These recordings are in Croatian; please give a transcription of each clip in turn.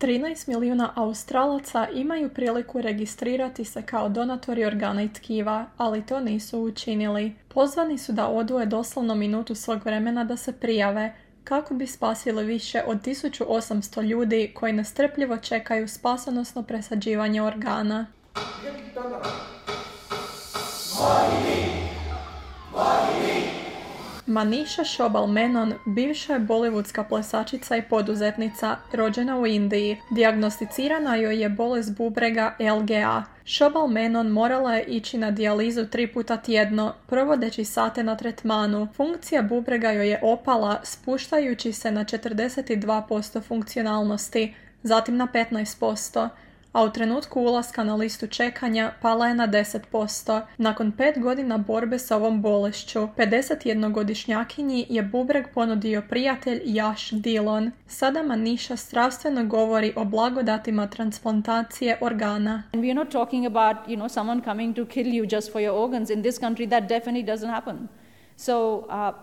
13 milijuna Australaca imaju priliku registrirati se kao donatori organa i tkiva, ali to nisu učinili. Pozvani su da odvoje doslovno minutu svog vremena da se prijave, kako bi spasili više od 1800 ljudi koji nestrpljivo čekaju spasonosno presađivanje organa. Manisha Shobal Menon bivša je bollywoodska plesačica i poduzetnica, rođena u Indiji. Dijagnosticirana joj je bolest bubrega LGA. Shobal Menon morala je ići na dijalizu 3 puta tjedno, provodeći sate na tretmanu. Funkcija bubrega joj je opala, spuštajući se na 42% funkcionalnosti, zatim na 15%. A u trenutku ulaska na listu čekanja pala je na 10%. Nakon 5 godina borbe sa ovom bolešću, 51-godišnjakinji je bubreg ponudio prijatelj Yash Dillon. Sada Manisha strastveno govori o blagodatima transplantacije organa. And we are not talking about, someone coming to kill you just for your organs. In this country that definitely doesn't happen. So,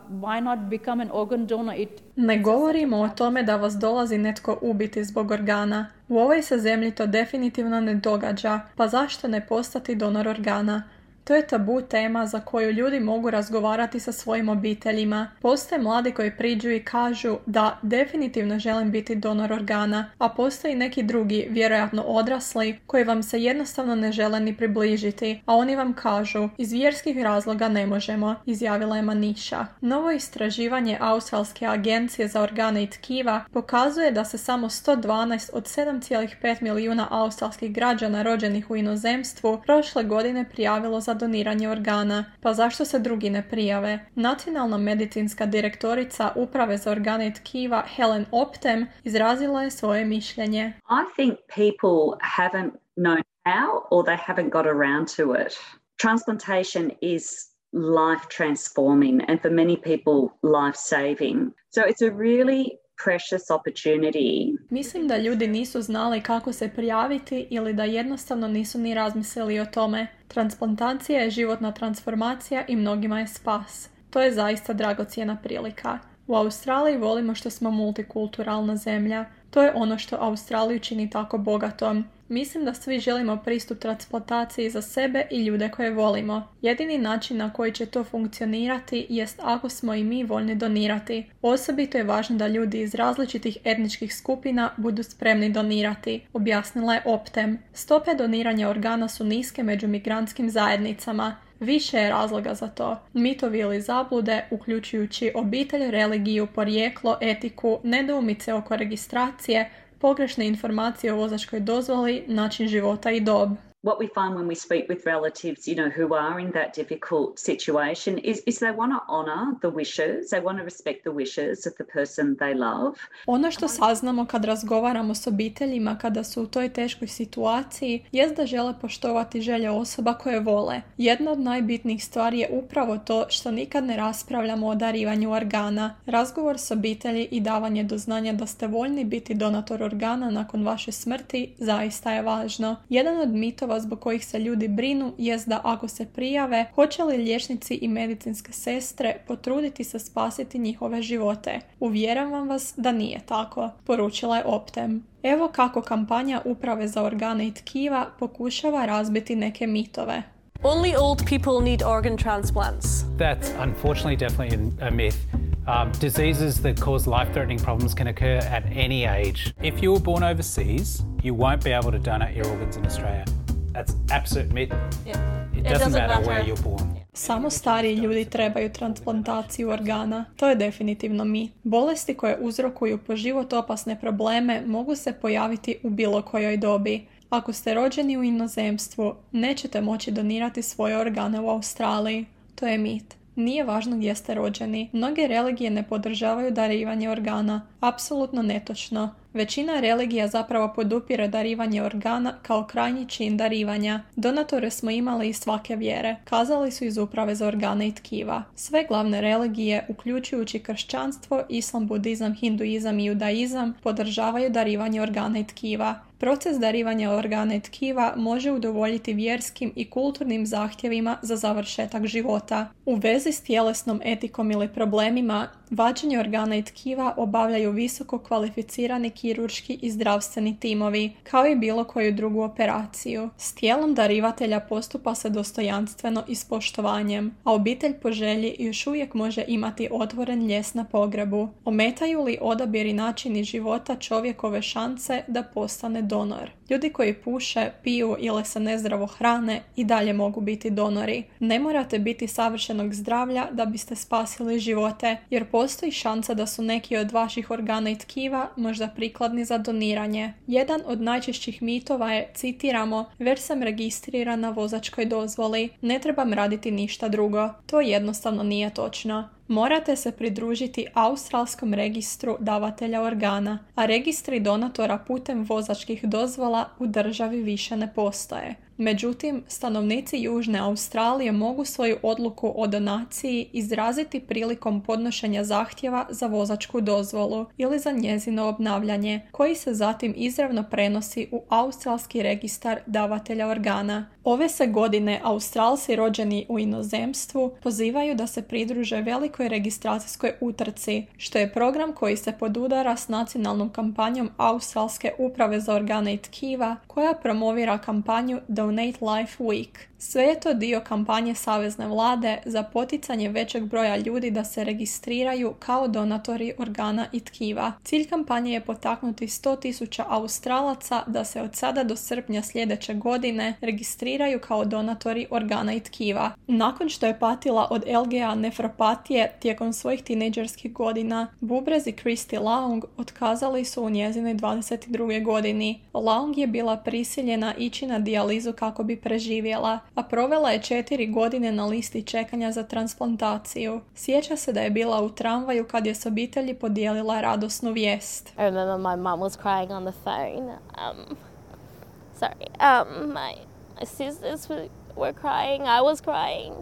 why not become an organ donor? Ne govorimo o tome da vas dolazi netko ubiti zbog organa. U ovoj se zemlji to definitivno ne događa, pa zašto ne postati donor organa? To je tabu tema za koju ljudi mogu razgovarati sa svojim obiteljima. Postoje mladi koji priđu i kažu da definitivno želim biti donor organa, a postoji neki drugi, vjerojatno odrasli, koji vam se jednostavno ne žele ni približiti, a oni vam kažu, iz vjerskih razloga ne možemo, izjavila je Manisha. Novo istraživanje Australske agencije za organe i tkiva pokazuje da se samo 112 od 7,5 milijuna australskih građana rođenih u inozemstvu prošle godine prijavilo za doniranje organa. Pa zašto se drugi ne prijave? Nacionalna medicinska direktorica Uprave za organe i tkiva Helen Optem izrazila je svoje mišljenje. I think people haven't known how or they haven't got around to it. Transplantation is life transforming and for many people life saving. So it's a really precious opportunity. Mislim da ljudi nisu znali kako se prijaviti ili da jednostavno nisu ni razmislili o tome. Transplantacija je životna transformacija i mnogima je spas. To je zaista dragocjena prilika. U Australiji volimo što smo multikulturalna zemlja. To je ono što Australiju čini tako bogatom. Mislim da svi želimo pristup transplantaciji za sebe i ljude koje volimo. Jedini način na koji će to funkcionirati jest ako smo i mi voljni donirati. Osobito je važno da ljudi iz različitih etničkih skupina budu spremni donirati, objasnila je Optem. Stope doniranja organa su niske među migrantskim zajednicama. Više je razloga za to. Mitovi ili zablude, uključujući obitelj, religiju, porijeklo, etiku, nedoumice oko registracije, pogrešne informacije o vozačkoj dozvoli, način života i dob. What we find when we speak with relatives, who are in that difficult situation is they want to honor the wishes, they want to respect the wishes of the person they love. Ono što saznamo kad razgovaramo s obiteljima kada su u toj teškoj situaciji jest da žele poštovati želje osoba koje vole. Jedna od najbitnijih stvari je upravo to što nikad ne raspravljamo o darivanju organa. Razgovor s obitelji i davanje do znanja da ste voljni biti donator organa nakon vaše smrti zaista je važno. Jedan od mitova zbog kojih se ljudi brinu jest da ako se prijave, hoće li liječnici i medicinske sestre potruditi se spasiti njihove živote. Uvjeravam vas da nije tako, poručila je Optem. Evo kako kampanja Uprave za organe i tkiva pokušava razbiti neke mitove. Only old people need organ transplants. That's unfortunately definitely a myth. Diseases that cause life-threatening problems can occur at any age. If you were born overseas, you won't be able to donate your organs in Australia. That's absolute myth. Yeah. It doesn't matter where you're born. Samo stariji ljudi trebaju transplantaciju organa. To je definitivno mit. Bolesti koje uzrokuju po život opasne probleme mogu se pojaviti u bilo kojoj dobi. Ako ste rođeni u inozemstvu, nećete moći donirati svoje organe u Australiji. To je mit. Nije važno gdje ste rođeni. Mnoge religije ne podržavaju darivanje organa. Apsolutno netočno. Većina religija zapravo podupire darivanje organa kao krajnji čin darivanja. Donatore smo imali iz svake vjere, kazali su iz Uprave za organe i tkiva. Sve glavne religije, uključujući kršćanstvo, islam, budizam, hinduizam i judaizam, podržavaju darivanje organa i tkiva. Proces darivanja organa i tkiva može udovoljiti vjerskim i kulturnim zahtjevima za završetak života. U vezi s tjelesnom etikom ili problemima, vađenje organa i tkiva obavljaju visoko kvalificirani kirurški i zdravstveni timovi, kao i bilo koju drugu operaciju. S tijelom darivatelja postupa se dostojanstveno i s poštovanjem, a obitelj po želji još uvijek može imati otvoren ljes na pogrebu. Ometaju li odabir i načini života čovjekove šanse da postane donor? Ljudi koji puše, piju ili se nezdravo hrane i dalje mogu biti donori. Ne morate biti savršenog zdravlja da biste spasili živote, jer postoji šansa da su neki od vaših organa i tkiva možda prikladni za doniranje. Jedan od najčešćih mitova je, citiramo, već sam registriran na vozačkoj dozvoli, ne trebam raditi ništa drugo. To jednostavno nije točno. Morate se pridružiti Australskom registru davatelja organa, a registri donatora putem vozačkih dozvola u državi više ne postoje. Međutim, stanovnici Južne Australije mogu svoju odluku o donaciji izraziti prilikom podnošenja zahtjeva za vozačku dozvolu ili za njezino obnavljanje, koji se zatim izravno prenosi u Australski registar davatelja organa. Ove se godine Australci rođeni u inozemstvu pozivaju da se pridruže velikoj registracijskoj utrci, što je program koji se podudara s nacionalnom kampanjom Australske uprave za organe i tkiva, koja promovira kampanju Donate Life Week. Sve je to dio kampanje savezne vlade za poticanje većeg broja ljudi da se registriraju kao donatori organa i tkiva. Cilj kampanje je potaknuti 100.000 Australaca da se od sada do srpnja sljedeće godine registriraju kao donatori organa i tkiva. Nakon što je patila od LGA nefropatije tijekom svojih tinejdžerskih godina, bubrez i Christy Long otkazali su u njezinoj 22. godini. Long je bila prisiljena ići na dijalizu kako bi preživjela, a provela je 4 godine na listi čekanja za transplantaciju. Sjeća se da je bila u tramvaju kad je s obitelji podijelila radosnu vijest. I remember my mum was crying on the phone. My sisters were crying, I was crying.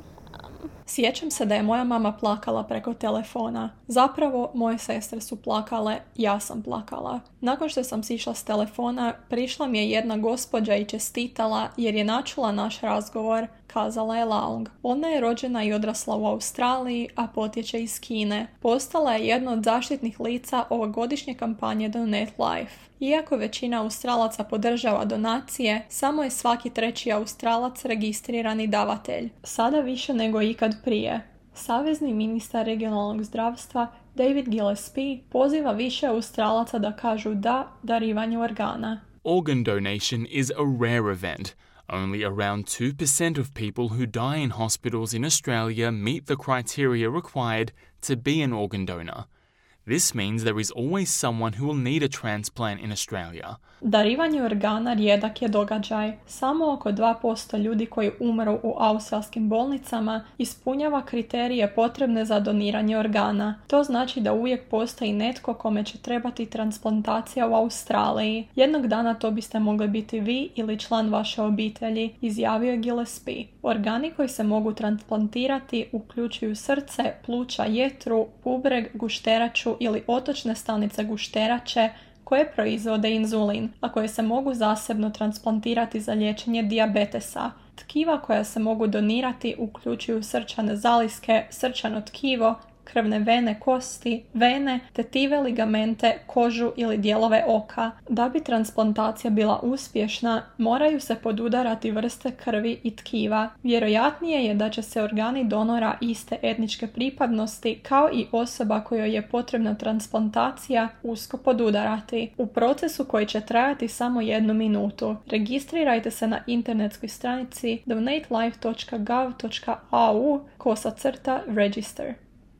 Sjećam se da je moja mama plakala preko telefona. Zapravo, moje sestre su plakale, ja sam plakala. Nakon što sam sišla s telefona, prišla mi je jedna gospođa i čestitala jer je načula naš razgovor, kazala je Long. Ona je rođena i odrasla u Australiji, a potječe iz Kine. Postala je jedna od zaštitnih lica ovogodišnje kampanje Donate Life. Iako većina Australaca podržava donacije, samo je svaki 3. Australac registrirani davatelj. Sada više nego ikad prije. Savezni ministar regionalnog zdravstva David Gillespie poziva više Australaca da kažu da darivanju organa. Organ donation is a rare event. Only around 2% of people who die in hospitals in Australia meet the criteria required to be an organ donor. This means there is always someone who will need a transplant in Australia. Darivanje organa rijedak je događaj. Samo oko 2% ljudi koji umru u australskim bolnicama ispunjava kriterije potrebne za doniranje organa. To znači da uvijek postoji netko kome će trebati transplantacija u Australiji. Jednog dana to biste mogli biti vi ili član vaše obitelji, izjavio je Gillespie. Organi koji se mogu transplantirati uključuju srce, pluća, jetru, bubreg, gušteraču ili otočne stanice gušterače koje proizvode inzulin, a koje se mogu zasebno transplantirati za liječenje dijabetesa. Tkiva koja se mogu donirati uključuju srčane zaliske, srčano tkivo, krvne vene, kosti, vene, tetive, ligamente, kožu ili dijelove oka. Da bi transplantacija bila uspješna, moraju se podudarati vrste krvi i tkiva. Vjerojatnije je da će se organi donora iste etničke pripadnosti, kao i osoba kojoj je potrebna transplantacija, usko podudarati. U procesu koji će trajati samo 1 minutu. Registrirajte se na internetskoj stranici donatelife.gov.au/register.